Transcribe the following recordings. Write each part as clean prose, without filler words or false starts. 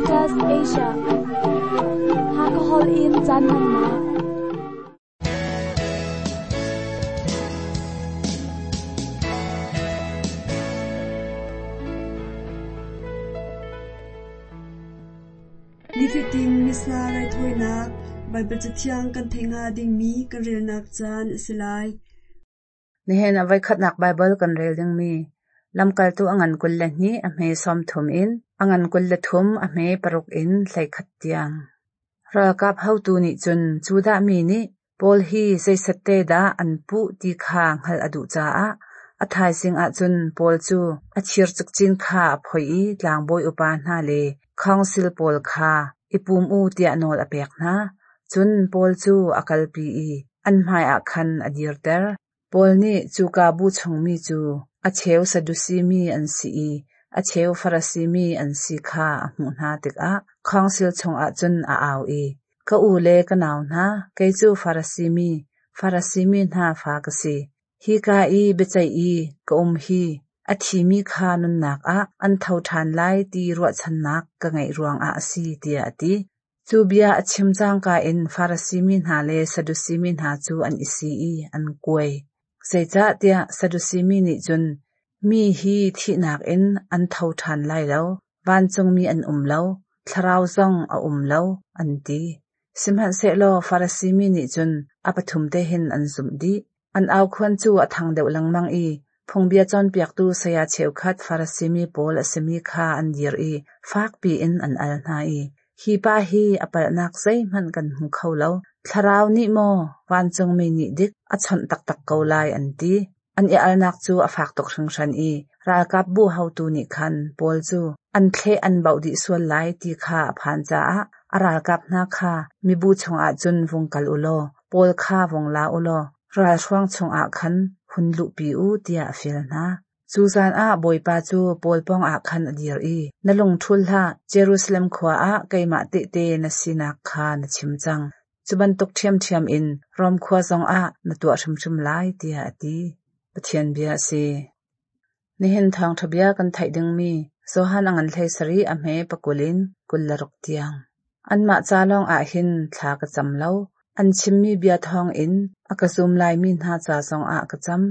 Adventist Asia. Hakha holh in caan hmannak. Nifatin Missa raithawinak Baibal Cathiang kan theih hnga dingmi kan relnak caan a si lai. Nihin a voikhatnak Baibal kan rel dingmi Lamkaltu a ngan 22 a hme 30 in a ngan 23 a hme 6 in 11 tiang. Ralkap hotu nih cun Judah mi nih Paul hi zeisette dah an puh ti kha hngalh a duh caah a thaizing ah cun Paul cu a thir cikcin kha a phoih i tlangbawi upa hna le khawngsil pawl kha i pum u tiah nawl a pek hna. Cun Paul cu a kalpi i an hmaiah khan a dirter. Paul nih cuka bu chungmi cu a cheu Sadusi mi an si i a cheu Farasi mi an si kha a hmuh hna tikah khawngsil chungah cun a au i, Ka u le ka nau hna, kei cu Farasi mi, Farasi mi hna fa ka si. Hika i biaceih i ka um hi a thimi kha nunnak ah an tho ṭhan lai ti ruahchannak ka ngeih ruangah a si, tiah a ti. Cu bia a chim cangka in Farasi mi hna le Sadusi mi hna cu an i si i an kuai. Zeicahtiah Sadusi mi nih cun, Mi hi thihnak in an tho ṭhan lai lo, vancungmi an um lo, thlarau zong a um lo, an ti. Sihmanhsehlaw Farasi mi nih cun a pathum te hin an zumh dih. An aukhuan cu a thang deuh lengmang i phungbia cawnpiaktu saya cheukhat Farasi mi pawl a simi kha an dir i fakpi in an al hna i, Hi pa hi a palhnak zeihmanh kan hmu kho lo. Thlarau nih maw vancungmi nih dik a chawnh taktak ko lai, an ti. An i alnak cu a fak tuk hringhran i ralkapbu haotu nih khan Paul cu an thleh an bauh dih sual lai ti kha a phan caah a ralkap hna kha mibu chungah cun vung kal u law Paul kha vung la u law ralhruang chungah khan hun luhpi u tiah a fial hna. Cu zan ah Bawipa cu Paul pawngah khan a dir i, Na lung ṭhul hlah, Jerusalem khua ah keimah tehte na sinak kha na chim cang. Cu bantuk ṭhiamṭhiam in Rom khua zongah na tuah hrimhrim lai, tiah a ti. Pathian bia a si. Nihin thawngṭha bia kan theih dingmi Johan a ngan 17 a hme 20 in 26 tiang. Anmah ca lawng ah hin thla ka cam lo. An chimmi bia thawngin a ka zum laimi hna ca zongah ka cam.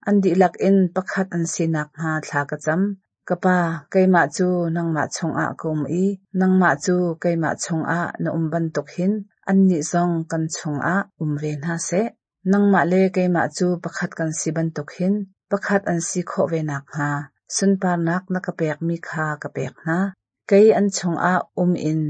An dihlak in pakhat an si nakhnga thla ka cam. Ka Pa, keimah cu nangmah chungah ka um i nangmah cu keimah chungah na um bantuk hin annih zong kan chungah um ve hna seh. Nangmah le keimah cu pakhat kan si bantuk hin pakhat an si khawh ve nakhnga sunparnak na ka pekmi kha ka pek hna. Kei an chungah um in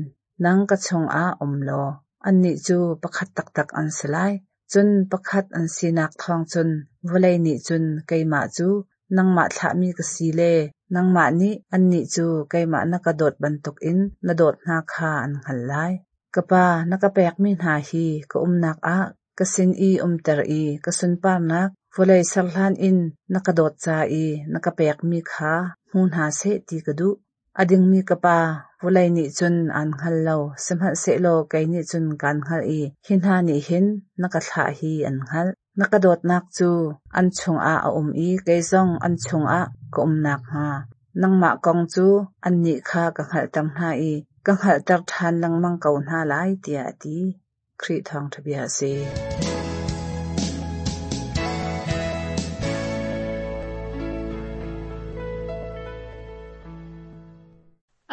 nang ka chungah um law annih cu pakhat taktak an si lai. Cun pakhat an sinak thawng cun vawlei nih cun keimah cu nangmah thlahmi ka si le nangmah nih annih cu keimah na ka dawt bantukin na dawt hna kha an hngalh lai. Ka Pa, na ka pekmi hna hi ka umnak ah ka sin i umter i ka sunparnak vawlei ser hlan in na ka dawt ca i na ka pekmi kha hmu hna seh ti ka duh. A dingmi ka Pa, vawlei nih cun aan hngal lo, sihmanhsehlaw kei nih cun kaan hngalh i hi hna nih hin na ka thlah hi an hngalh. Na ka dawtnak cu an chungah a um i kei zong an chungah ka um nakhnga nangmah kong cu annih kha ka hngalhter hna i ka hngalhter ṭhan lengmang ko hna lai, tiah a ti. Khrih thawngṭha bia a si.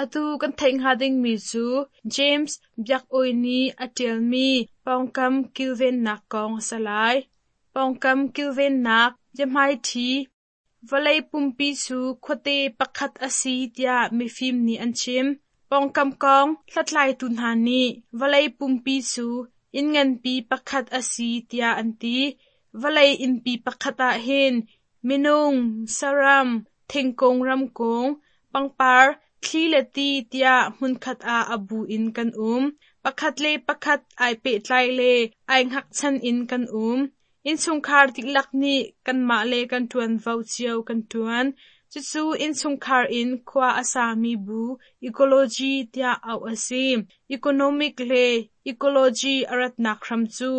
Atu kan theih hnga dingmi cu James Biak-awi nih a ṭialmi pawngkam kilvennak kong a si lai. Pawngkam kilvennak biahmaiṭhi Vawlei pumpi cu khuate pakhat a si tiah mifim nih an chim. Pawngkam kong hlathlaitu hna nih vawlei pumpi cu inn nganpi pakhat a si tiah an ti. Vawlei innpi pakhat ah hin minung, saram, thingkung ramkung, pangpar, thli le ti tiah hmunkhat ah a bu in kan um. Pakhat le pakhat ai pehtlai le ai hngakchan in kan um. Innchungkhar dihlak nih kanmah le kan ṭuanvo cio kan ṭuan. Cucu innchungkhar in khua a sami bu ecology tiah auh a si. Economic le ecology a ratnak hram cu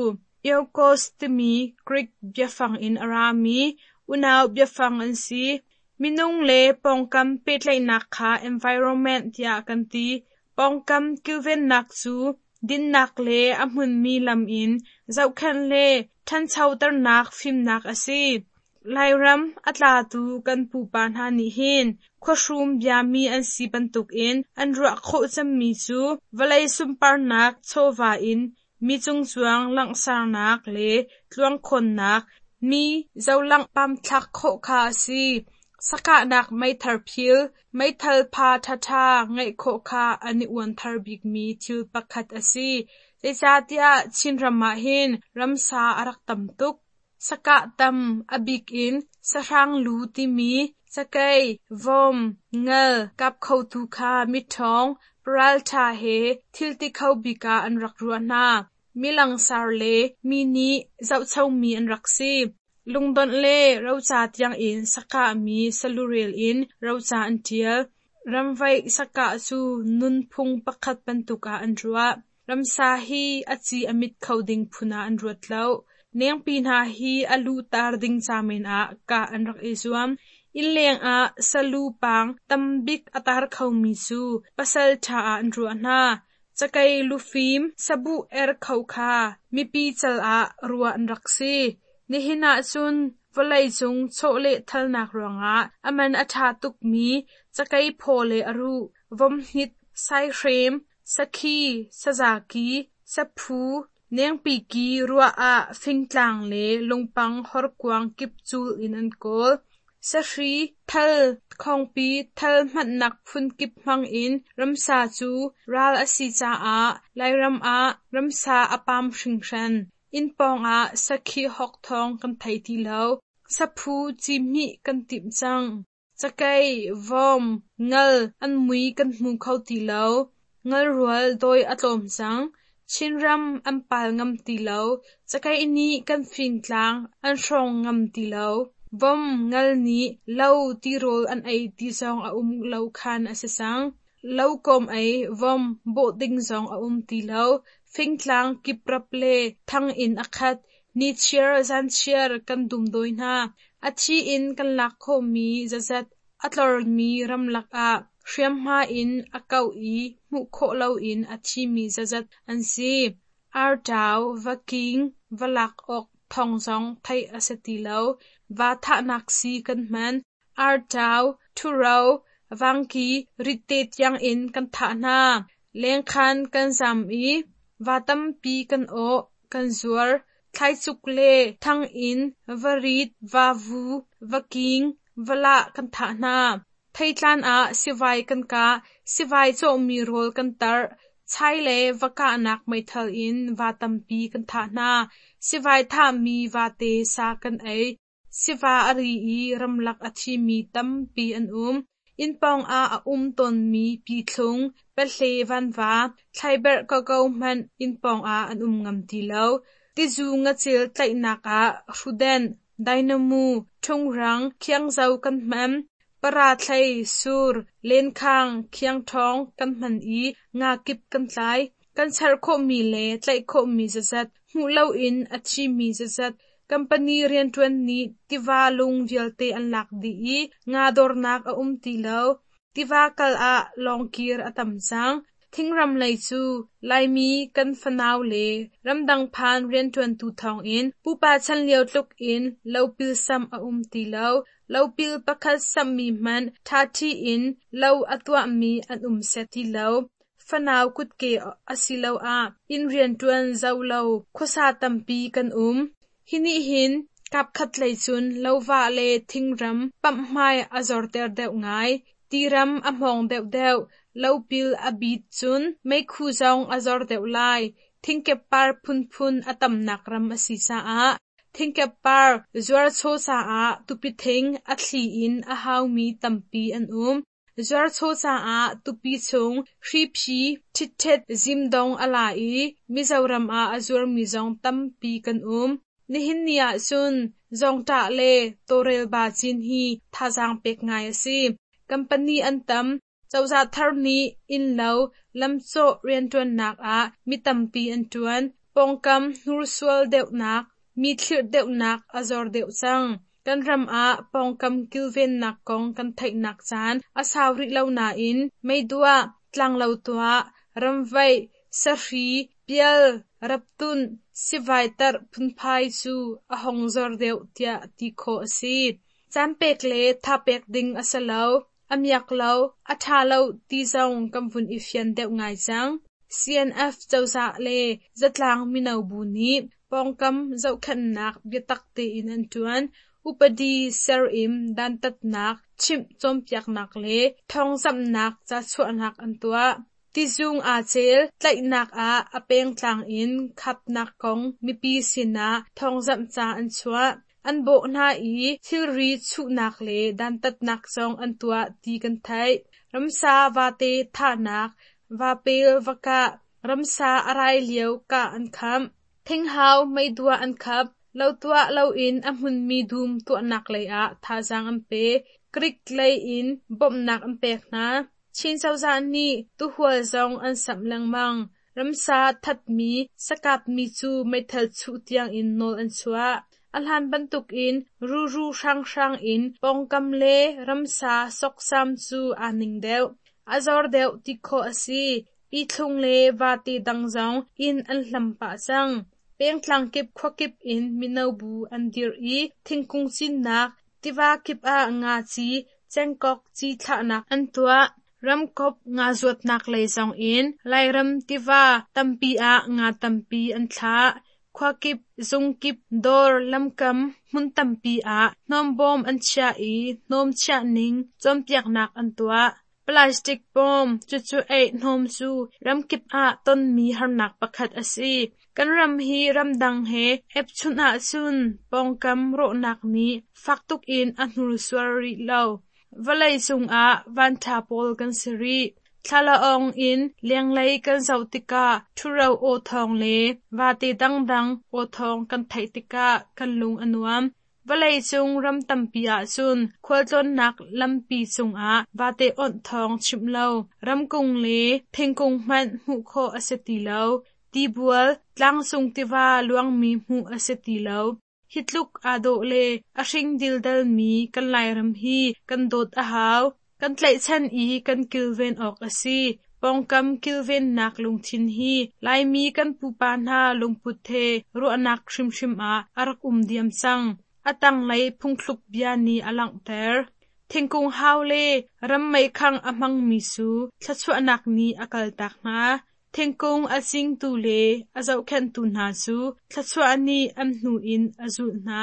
eukos timi Greek biafang in a rami unau biafang an si. Minung le pawngkam pehtlaihnak kha environment tiah kan ti. Pawngkam kilvennak cu dinnak le a hmunmi lam in zohkhenh le ṭhanchoternak fimnak a si. Lairam a tlatu kan pupa hna nih hin khuahrum biami an si bantukin an ruah khawh cemmi cu vawlei sunparnak chawva in mi cungcuang langhsarnak le tluangkhawnnak, mi zohlangh pamthlak khawh kha a si. Sakahnak meithal phil, meithal pha ṭhaṭha ngeih khawh kha an i uanthar bikmi thil pakhat a si. Zeicahtiah Chinram ah hin ramsa a rak tam tuk. Sakah tam, a bik in sahrang lu timi cakei, vom, ngal kap khotu kha miṭhawng, paralṭha he thil ti kho bik ah an rak ruah hna. Mi langsar le mi nih zohchomi an rak si. Lungdonh le roca tiangin sakahmi salurel in roca an ṭial. Ramvaih sakah cu nunphung pakhat bantuk ah an ruah. Ramsa hi a ci a mit kho ding phun ah an ruat lo. Nengpi hna hi a lu tar ding ca men ah kah an rak i zuam. Innleng ah salu paang tambik a tar khomi cu pasal ṭha ah an ruah hna. Cakei lufim sabuh er kho kha mipi cal ah ruah an rak si. Nihin ahcun vawleicung chawlehthalnak ruangah a man a ṭha tukmi cakei phaw le a ruh, vomhnit, saihrem, sakhi, sazaki, saphu, nengpi ki ruah ah fingtlang le lungpang horkuang kip cul in an kawl. Sahri, thal, khawngpi, thal hmannak phun kip hmang in ramsa cu ral a si caah Lairam ah ramsa a pam hringhran. Inn pawngah sakhi hawk thawng kan thei ti lo. Saphu cihmih kan timh cang. Cakei, vom, ngal an mui kan hmu kho ti lo. Ngalrual dawi a tlawm cang. Chinram an pal ngam ti lo. Cakei nih kan fingtlang an hrawng ngam ti lo. Vom, ngal nih lo tirawl an ei ti zong a um lo khan a si cang. Lo kawm ei, vom, bawh ding zong a um ti lo. Fingtlang kiprap le thang in a khat. Nichiar zanchiar kan dumdawi hna. A thi in kan lak khawhmi zazat a tlormi ramlak ah hriamhma in a kauh i hmuh khawh loin a thimi zazat an si. Arṭau, vaking, va lak awk thawng zong theih a si ti lo. Va thahnak sii kan hman. Arṭau, ṭhuro, vangki, ritte tiangin kan thah hna. Lengkhan kan zam i va tampi kan awh, kan zuar. Thlaicuk le thang in varit, vavu, vaking, valah kan thah hna. Theitlan ah sivai kan kah, sivai cawhmi rawl kan tarh. Chai le va kahnak meithal in va tampi kan thah hna. Sivai thahmi vate sa kan ei. Siva a ri i ramlak a thimi tampi an um. Inn pawngah a um tawnmi pithlung, pahle vanva, thlaiberh koko hmanh inn pawngah an um ngam ti lo. Tizu ngacil tlaihnak ah hrudenh, dainamu, ṭhungrang, khiangzo kan hman. Parathlei, sur, lenkhang, khiangṭhawng kan hman i nga kip kan tlai. Kan char khawhmi le tlaih khawhmi zazat, hmuh loin a thimi zazat, Kampani rianṭuan nih tiva lung vialte an lak dih i nga dornak a um ti lo. Tiva kal ah lawngkir a tam cang. Thingram lei cu Laimi kan fanau le ramdang phan rianṭuantu thawngin pupa chan lio tluk in lopil samh a um ti lo. Lopil pakhat samhmi hmanh ṭhaṭhi in lo a tuahmi an um set ti lo. Fanau kutke asiloah inn rianṭuan zoh lo khuasa tampi kan um. Hi nih hin kapkhat lei cun lovah le thingram pamhhmai a zorter deuh ngai. Tiram a hmawng deuhdeuh, lopil a bit cun meikhu zong a zor deuh lai. Thingkeppar phunphun a tamnak ram a si caah thingkeppar zuarchaw caah tupi thing a thli in a haumi tampi an um. Zuarchaw caah tupi chung hriphi ṭhitṭhet zimdong a la i Mizoram ah a zuarmi zong tampi kan um. Nihin ni ahcun zawngṭah le tawlrelba cin hi thazaang pek ngai a si. Kampani an tam. Cozah thar nih innlo, lamcawh rianṭuannak ah mi tampi an ṭuan. Pawngkam hnursual deuhnak, mi thlirh deuhnak a zor deuh cang. Kan ram ah pawngkam kilvennak kong kan theihnak caan a sau rih lo nain meiduah, tlanglo tuah, ramvaih, sahri, pial, raptunh, sivai tarh phunphai cu a hong zor deuh tiah ti khawh a si. Caan pek le thapek ding a si lo, a miak lo, a ṭha lo ti zong kan vun i fian deuh ngai cang. CNF cozah le zatlang mino bu nih pawngkam zohkhenhnak biatak tein an ṭuan. Upadi ser in dantatnak, chimh cawnpiaknak le thawngzamhnak ca chuahnak an tuah. Tizung aa cel tlaihnak ah a pengtlang in khapnak kong mipi sinah thawngzamh ca an chuah. An bawh hna i thilri chuhnak le dantatnak zong an tuah ti kan theih. Ramsa vate thahnak, vapel va kah, ramsa a rai lio kah an khamh. Thinghau meiduah an khap. Lo tuah loin a hmunmi dum tuahnak lei ah thazaang an pe. Greek lei in bawmhnak an pek hna. Chin cozah nih tuhual zong an samh lengmang. Ramsa thatmi, sakapmi cu meithal chuh tiangin nawl an chuah. A hlan bantukin ruru hranghrang in pawngkam le ramsa sawksam cu aa ning deuh. A zor deuh ti khawh a si. Pithlung le vate dang zong inn an hlam pah cang. Pengtlang kip khuakip in mino bu an dirh i thingkung cinnak, tiva kip ah nga ci, cengkok ci thlahnak an tuah. Ramkop nga zuatnak lei zong in Lairam tiva tampi ah nga tampi an thlah. Khuakip, zungkip, dawr, lamkam, hmun tampi ah hnawmbawm an chiah i hnawm chiah ning cawnpiaknak an tuah. Plastic bawm, cucu eih hnawm cu ramkip ah tonmi harnak pakhat a si. Kan ram hi ramdang he epchun ahcun pawngkam rawhnak nih fak tukin a hnursuar rih lo. Vawlei cungah vanṭha pawl kan si rih. Thlalaawng in lenglei kan zoh tikah ṭhuro aw thawng le vate dangdang aw thawng kan theih tikah kan lung a nuam. Vawleicung ram tampi ahcun khualtlawnnak lampi cungah vate awnh thawng chimh lo, ramkung le thingkung hmanh hmuh khawh a si ti lo. Tibual, tlangcung tiva luangmi hmuh a si ti lo. Hi tluk aa dawh le a hring dildalmi kan Lairam hi kan dawt a hau. Kan tlaihchan i kan kilven awk a si. Pawngkam kilvennak lungthin hi Laimi kan pupa hna lungput he ruahnak hrimhrim ah a rak um diam cang. A tanglei phungthluk bia nih a langhter. Thingkung hau le ram meikhangh a hmangmi cu thluachuahnak nih a kaltak hna. Thingkung a cingtu le a zohkhenhtu hna cu thluachuah nih an hnu in a zulh hna.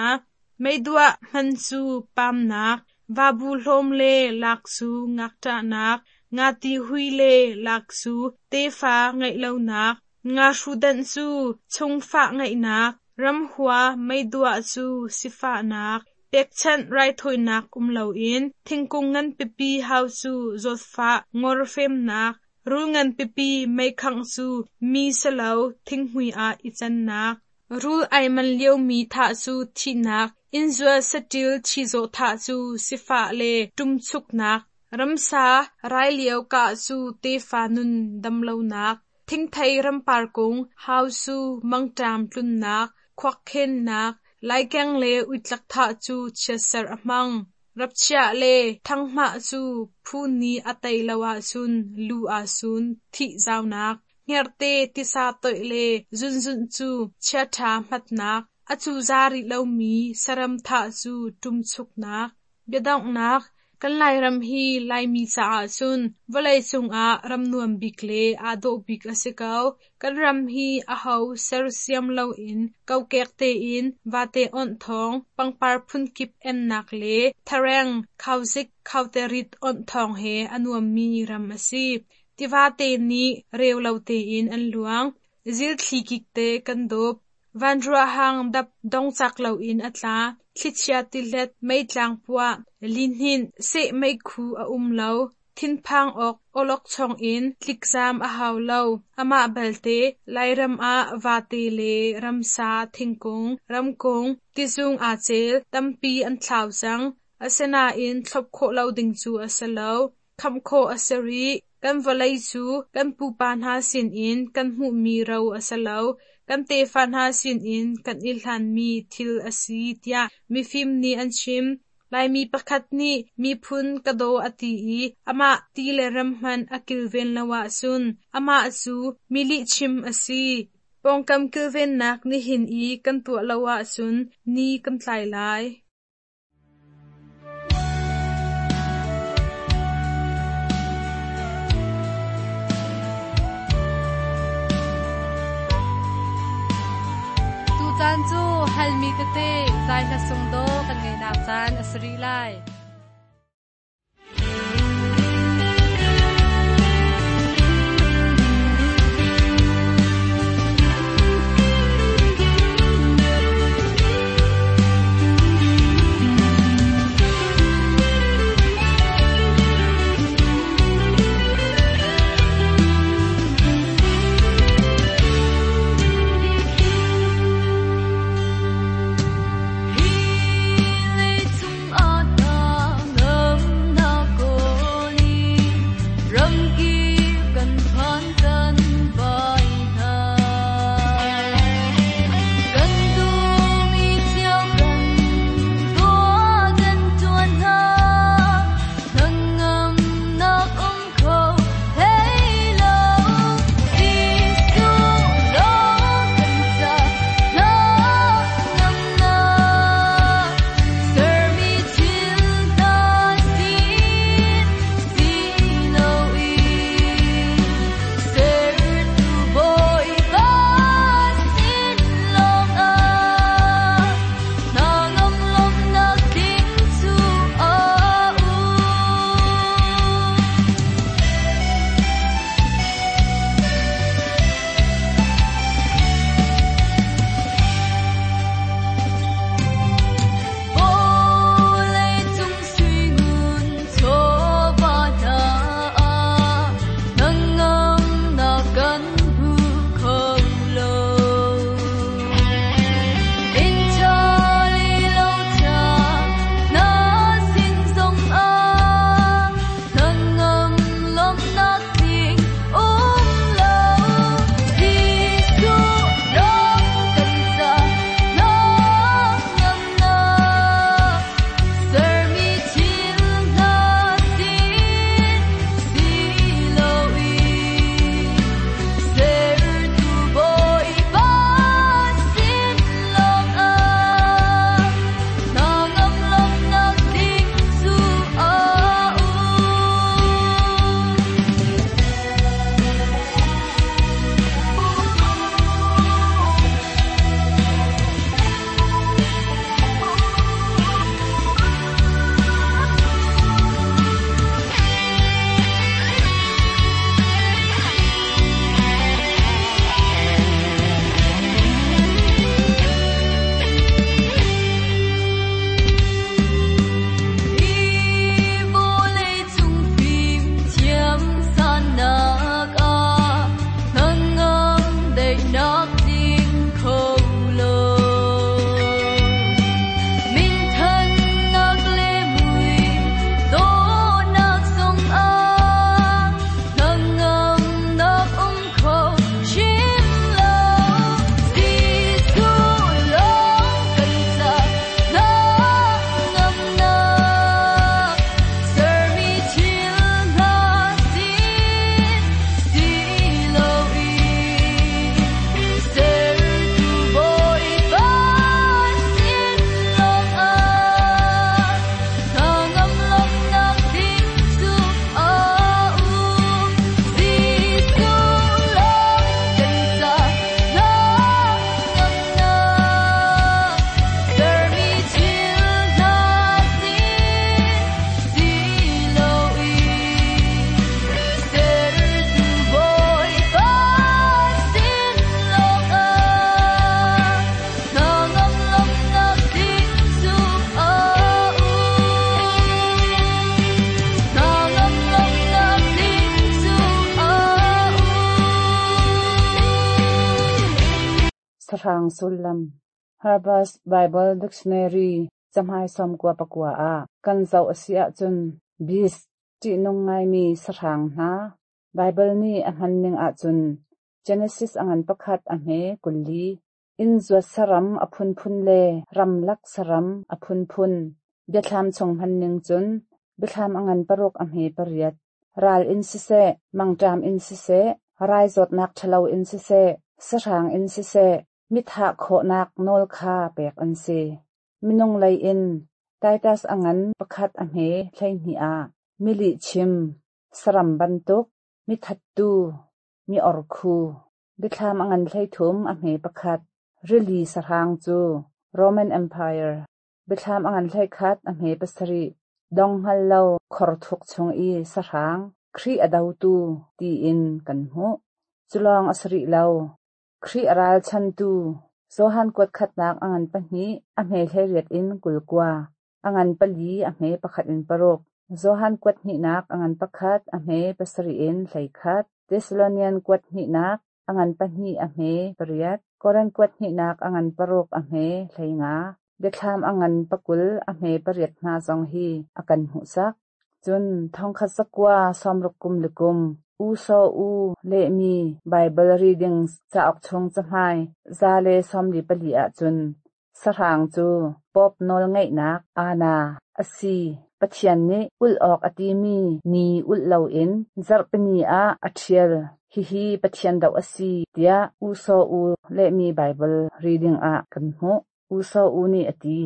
Meiduah hman cu pamnak, vabu hlawm le lak cu ngakṭahnak, ngati hui le lak cu tefa ngeih lonak, ngahru danh cu chungfah ngeihnak, ramhua meiduah cu sifahnak, pekchanh raithawinak um loin thingkung nganpipi hau cu zawtfah ngawrfemnak, Rul nganpipi meikhangh cu mi silo thinghmui ah i cannak. Rul ai man liomi thah cu thihnak, innzuat saṭil chizawh thah cu sifah le ṭumchuknak, ramsa rai lio kah cu tefa nun damlonak, thingthei rampar kung hau cu mangṭam tlunnak, khuakkhennak, laikeng le uitlak thah cu chiatserh a hmang. Rapchiah le ṭhanghmah cu phu nih a tei lo ahcun lu aa sun, thih zaunak, hngerhte tisa toih le zunzunh cu chiaṭha hmatnak, a cuza rih lomi saram thah cu ṭumchuknak. Biadonghnak Kan Lairam hi Laimi caah cun vawleicung ah ram nuam bik le aa dawh bik a si ko. Kan ram hi aho sersiam loin kokek tein vate awnh thawng, pangpar phunkip ennak le thareng, khauzik, khauterit awnh thawng he a nuammi ram a si. Tivate nih reu lo tein an luang. Zilthli kik te kan dawp. Vanruah hang dap dongcak loin a tla. Thlichia tilet, meitlang puah, lihninh, seh meikhu a um lo. Thinphang awk awlokchong in tlikzaam a hau lo. Amah belte, Lairam ah vate le ramsa, thingkung, ramkung, tizung aa cel, tampi an thlau cang. Asinain thlop khawh lo ding cu a si lo. Khamh khawh a si rih. Kan vawlei cu kan pupa hna sinin kan hmuhmi ro a si lo. Kan tefa hna sinin kan i hlanmi thil a si tiah mifim nih an chim. Laimi pakhat nih miphun ka daw a ti i amah ti le ram hmanh a kilven lo ahcun amah cu mi lihchim a si. Pawngkam kilvennak nihin i kan tuah lo ahcun ni kan tlai lai. Tucaan cu halmi tete zai hla sung dawh kan ngeihnak caan a si rih lai. Sahrang sullam Herbert's Bible Dictionary cahmai 99 ah kan zoh a si ahcun beast ṭihnung ngaimi sahrang hna Baibal nih a hmanning ahcun Genesis a ngan pakhat a hme 24 inn zuat saram a phunphun le ramlak saram a phunphun. Biathlam chung hmanning cun Biathlam a ngan paruk a hme pariat. Ral in siseh, mangṭam in siseh, rai zawtnak ṭhalo in siseh, sahrang in siseh, mithah khawhnak nawl kha pek an si. Minung lei in Titus a ngan pakhat a hme 12 ah milihchim, saram bantuk, mithattu, mi orkhu, Biathlam a ngan 13 a hme pakhat, rili sahrang cu Roman Empire, Biathlam a ngan 11 a hme pasarih, dong hngal lo khor thuk chung i sahrang, Khrih a dotu tiin kan hmuh. Cu lawng a si rih lo. Khrih a ralchantu Johan kuat khatnak a ngan pahnih a hme 18 in 29, a ngan pali a hme pakhat in paruk, Johan kuat hnihnak a ngan pakhat a hme pasarih in 11, Thessalonian kuat hnihnak a ngan pahnih a hme pariat, Korin kuat hnihnak a ngan paruk a hme 15, Biathlam a ngan pakul a hme pariat hna zong hi a kan hmuhsak. Cun thongkhat zakua sawmruk kum le kum U Saw U lehmi Baibal Readings cauk chung cahmai 144 ahcun sahrang cu Pope nawlngeihnak aana a si. Pathian nih ulh awk a timi ni ulh loin zarhpini ah a ṭhial. Hihi Pathian doh a si tiah U Saw U lehmi Baibal reading ah kan hmuh. U Saw U nih a ti.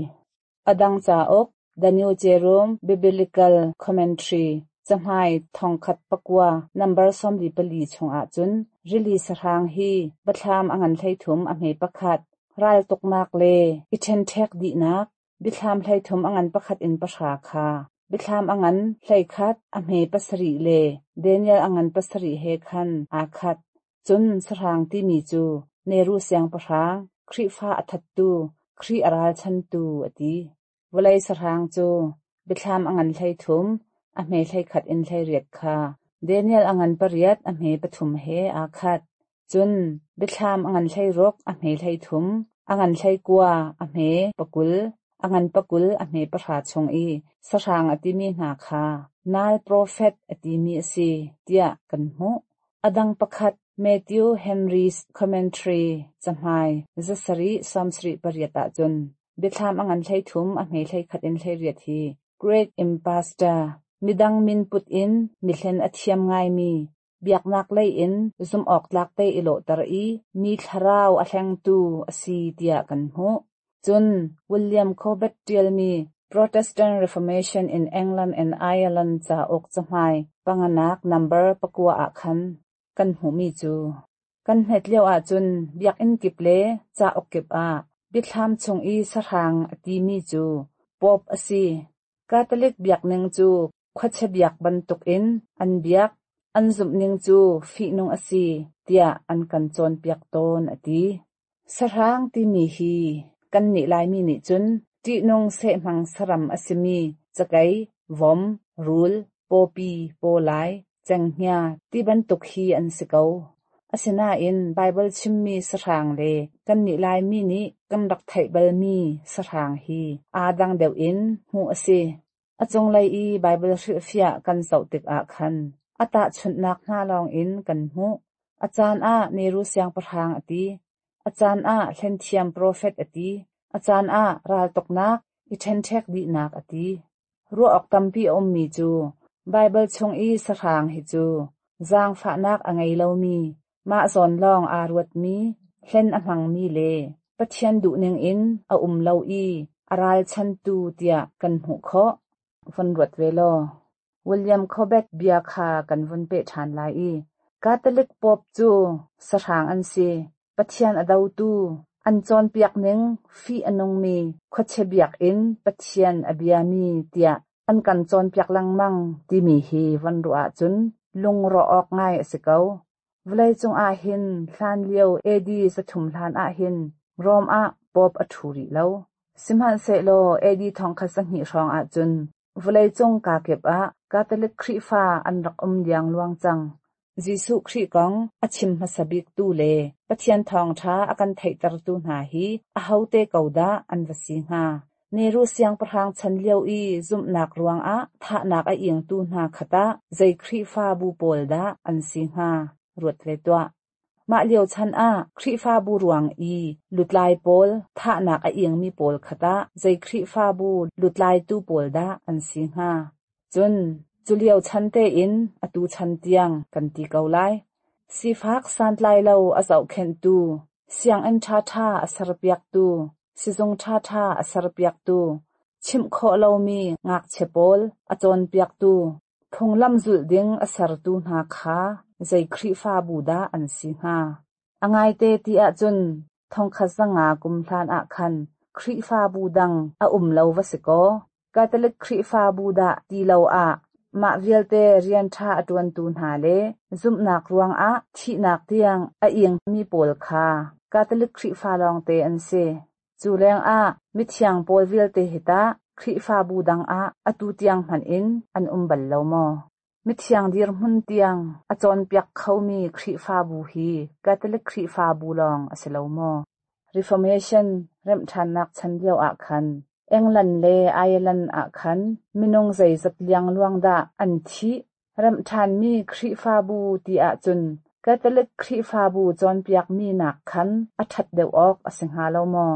A dang cauk The New Jerome Biblical Commentary cahmai thongkhat pakua nambar 44 chungah cun rili sahrang hi biathlam a ngan 13 a hme pakhat, raltuknak le i ṭhenṭhek dihnak, biathlam 13 a ngan pakhat in pahra kha biathlam a ngan 11 a hme pasarih le Daniel a ngan pasarih he khan aa khat. Cun sahrang timi cu Neru siangpahrang, Khrihfa a thattu, Khrih a ralchantu a ti. Vawlei sahrang cu biathlam a ngan 13, a hme 11 in 18 kha Daniel a ngan pariat a hme pathum he aa khat. Cun biathlam a ngan 16 a hme 33, a ngan 19 a hme pakul, a ngan pakul a hme pahra chung i sahrang a timi hna kha nal profet a timi a si tiah kan hmuh. A dang pakhat Matthew Henry's Commentary cahmai zasarih sawmsarih pariat ahcun biathlam a ngan 13 a hme 11 in 18 hi Great Impostor, midang min put in mihlen a thiam ngaimi, biaknak lei in zumhawktlak te i lawhter i mi thlarau a hlengtu a si tiah kan hmuh. Cun William Corbett ṭialmi Protestant Reformation in England and Ireland cauk cahmai panganak nambar pakua ah khan kan hmuhmi cu kan hmet lio ahcun biakinn kip le cauk kip ah biathlam chung i sahrang a timi cu Pope a si. Catholic biakning cu khuachia biak bantukin an biak, an zumhning cu fihnung a si tiah an kan cawnpiak tawn a ti. Sahrang timi hi kannih Laimi nih cun ṭihnung sehhmang saram a simi cakei, vom, rul, pawpi, pawlai, cenghngia ti bantuk hi an si ko. Asinain Baibal chimmi sahrang le kannih Laimi nih kan rak theih balmi sahrang hi aa dang deuh in hmuh a si. A cunglei i Baibal hrilhfiah kan zoh tikah khan a tahchunhnak hna lawngin kan hmuh. A caan ah Neru siangpahrang a ti, a caan ah hlenthiam profet a ti, a caan ah raltuknak, i ṭhenṭhek dihnak a ti. Ruah awk tampi a ummi cu Baibal chung i sahrang hi cu zaangfahnak a ngei lomi, mah zawn lawng aa ruatmi, hlen a hmangmi le Pathian duhning in a um lo i a ralchantu tiah kan hmuh khawh. Von ruat ve law. William Corbett bia kha kan vun peh ṭhan lai i Catholic Pope cu sahrang an si, Pathian a dotu, an cawnpiak ning fih a nungmi khuachia biakinn Pathian a biami tiah an kan cawnpiak lengmang timi hi von ruah ahcun lungrawh awk ngai a si ko. Vawleicung ah hin hlanlio AD 300 hlan ah hin Rome ah Pope a ṭhu rih lo. Sihmanhsehlaw AD 1200 hrawng ahcun vawleicung kakip ah Catholic Khrihfa an rak um liangluang cang. Jesuh Khrih kong a chim hmasa biktu le Pathian thawngṭha a kan theihtertu hna hi ahote ko dah an va si hnga? Neru siangpahrang chan lio i zumhnak ruangah thahnak a ingtu hna kha tah zei Khrihfabu pawl dah an si hnga? Ruat ve tuah. Mah lio chan ah Khrihfabu ruang i lutlai pawl thahnak a ingmi pawl kha tah zei Khrihfabu lutlaitu pawl dah an si hnga? Cun cu lio chan tein atu chan tiang kan ti ko lai. Sifak santlailo a zohkhenhtu, sianginn ṭhaṭha a serpiaktu, sizung ṭhaṭha a serpiaktu, chimh khawh lomi ngakchia pawl a cawnpiaktu, phunglam zulh ding a sertu hna kha zei Khrihfabu dah an si hnga? A ngaite ti ahcun 1500 kum hlan ah khan Khrihfabu dang a um lo va si kaw, Catholic Khrihfabu dah ti lo ah mah vialte rian ṭha a ṭuantu hna le zumhnak ruangah thihnak tiang a ingmi pawl kha Catholic Khrihfa lawngte an si. Cu lengah mithiang pawl vialte hi tah Khrihfabu dang ah atu tiang hmanh in an um bal lo maw? Mithiang dirhmun tiang a cawnpiak khomi Khrihfabu hi Catholic Khrihfabu lawng a si lo maw? Reformation remhṭhannak chan lio ah khan England le Ireland ah khan minung zeizat liangluang dah an thih? Remhṭhanmi Khrihfabu ti ahcun Catholic Khrihfabu cawnpiakmi nak khan a ṭhat deuh awk a si hnga lo maw?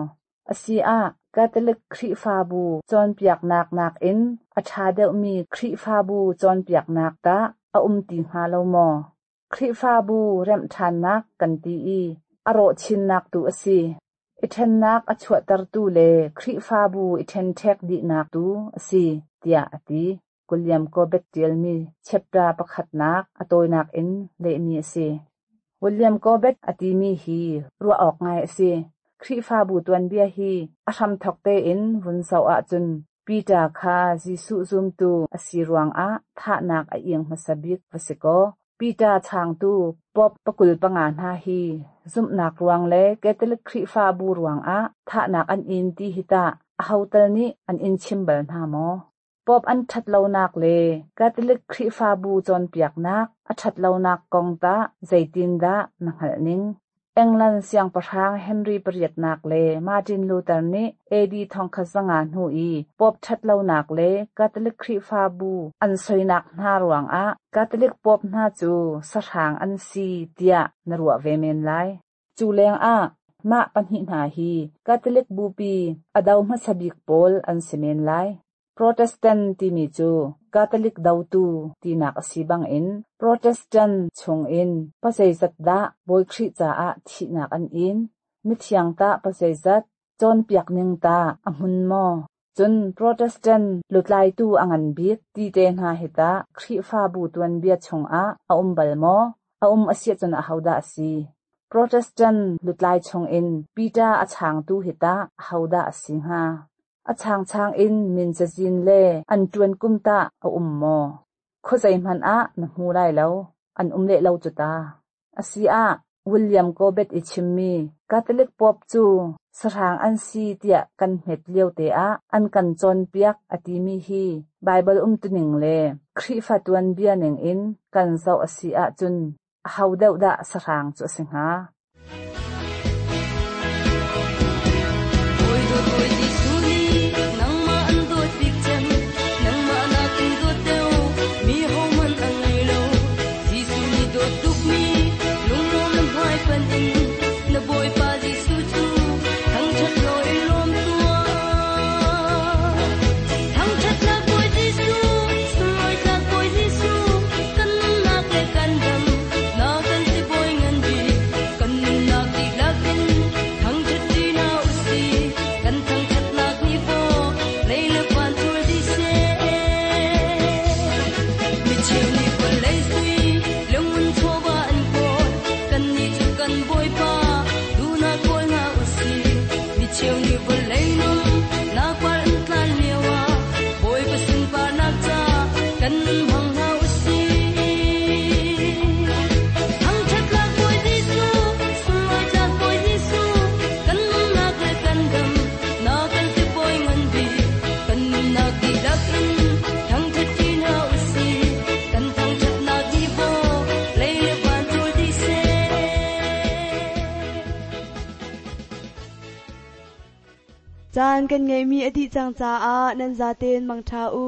Asi ah Catholic Khrihfabu cawnpiaknak nakin a ṭha deuhmi Khrihfabu cawnpiaknak tah a um ti hnga lo maw? Khrihfabu remhṭhannak kan ti i a rawh chinnak tu a si. I ṭhennak a chuahtertu le Khrihfabu i ṭhenṭhek dihnak tu a si, tiah a ti. William Corbett ṭialmi chapter pakhatnak a tawinak in lehmi a si. William Corbett a timi hi ruah awk ngai a si. Khrihfabu tuanbia hi a hramthawk tein vun zoh ahcun Peter kha Jesuh zumtu a si ruangah thahnak a ing hmasa bik va si kaw, Peter changtu Pope 25 hna hi zumhnak ruang le Catholic Khrihfabu ruangah thahnak an in ti hi tah aho tal nih an in chim bal hna maw? Pope an ṭhatlonak le Catholic Khrihfabu cawnpiaknak a ṭhatlonak kong tah zeitindah na hngalh ning? England siangpahrang Henry pariatnak le Martin Luther nih AD 1500 hnu i Pope ṭhatlonak le Catholic Khrihfabu an soinak hna ruangah Catholic Pope hna cu sahrang an si tiah na ruah ve men lai. Cu lengah mah pahnih hna hi Catholic Bupi a do hmasa bik pawl an si men lai. Protestant timi cu Catholic dotu tinak a si bangin Protestant chungin pazeizat dah Bawi Khrih caah thihnak an in? Mithiang tah pazeizat? Cawnpiak ning tah a hmun maw? Cun Protestant lutlaitu a ngan bik ti te hna hi tah Khrihfabu tuanbia chungah a um bal maw? A um a si ahcun ahodah a si? Protestant lutlai chungin Peter a changtu hi tah ahodah a si hnga? A changchang in min cazin le an ṭuan kum tah a um maw? Khuazei hmanh ah na hmu lai lo, an um leh lo cu ta. Asi ah, William Corbett i chimmi Catholic Pope cu sahrang an si tiah kan hmet lio te ah an kan cawnpiak a timi hi Baibal umtuning le Khrihfa tuanbia ning in kan zoh a si ahcun aho deuh dah sahrang cu a si hnga? Caan kan ngeihmi a dih cang caah nan zaten mangṭha u.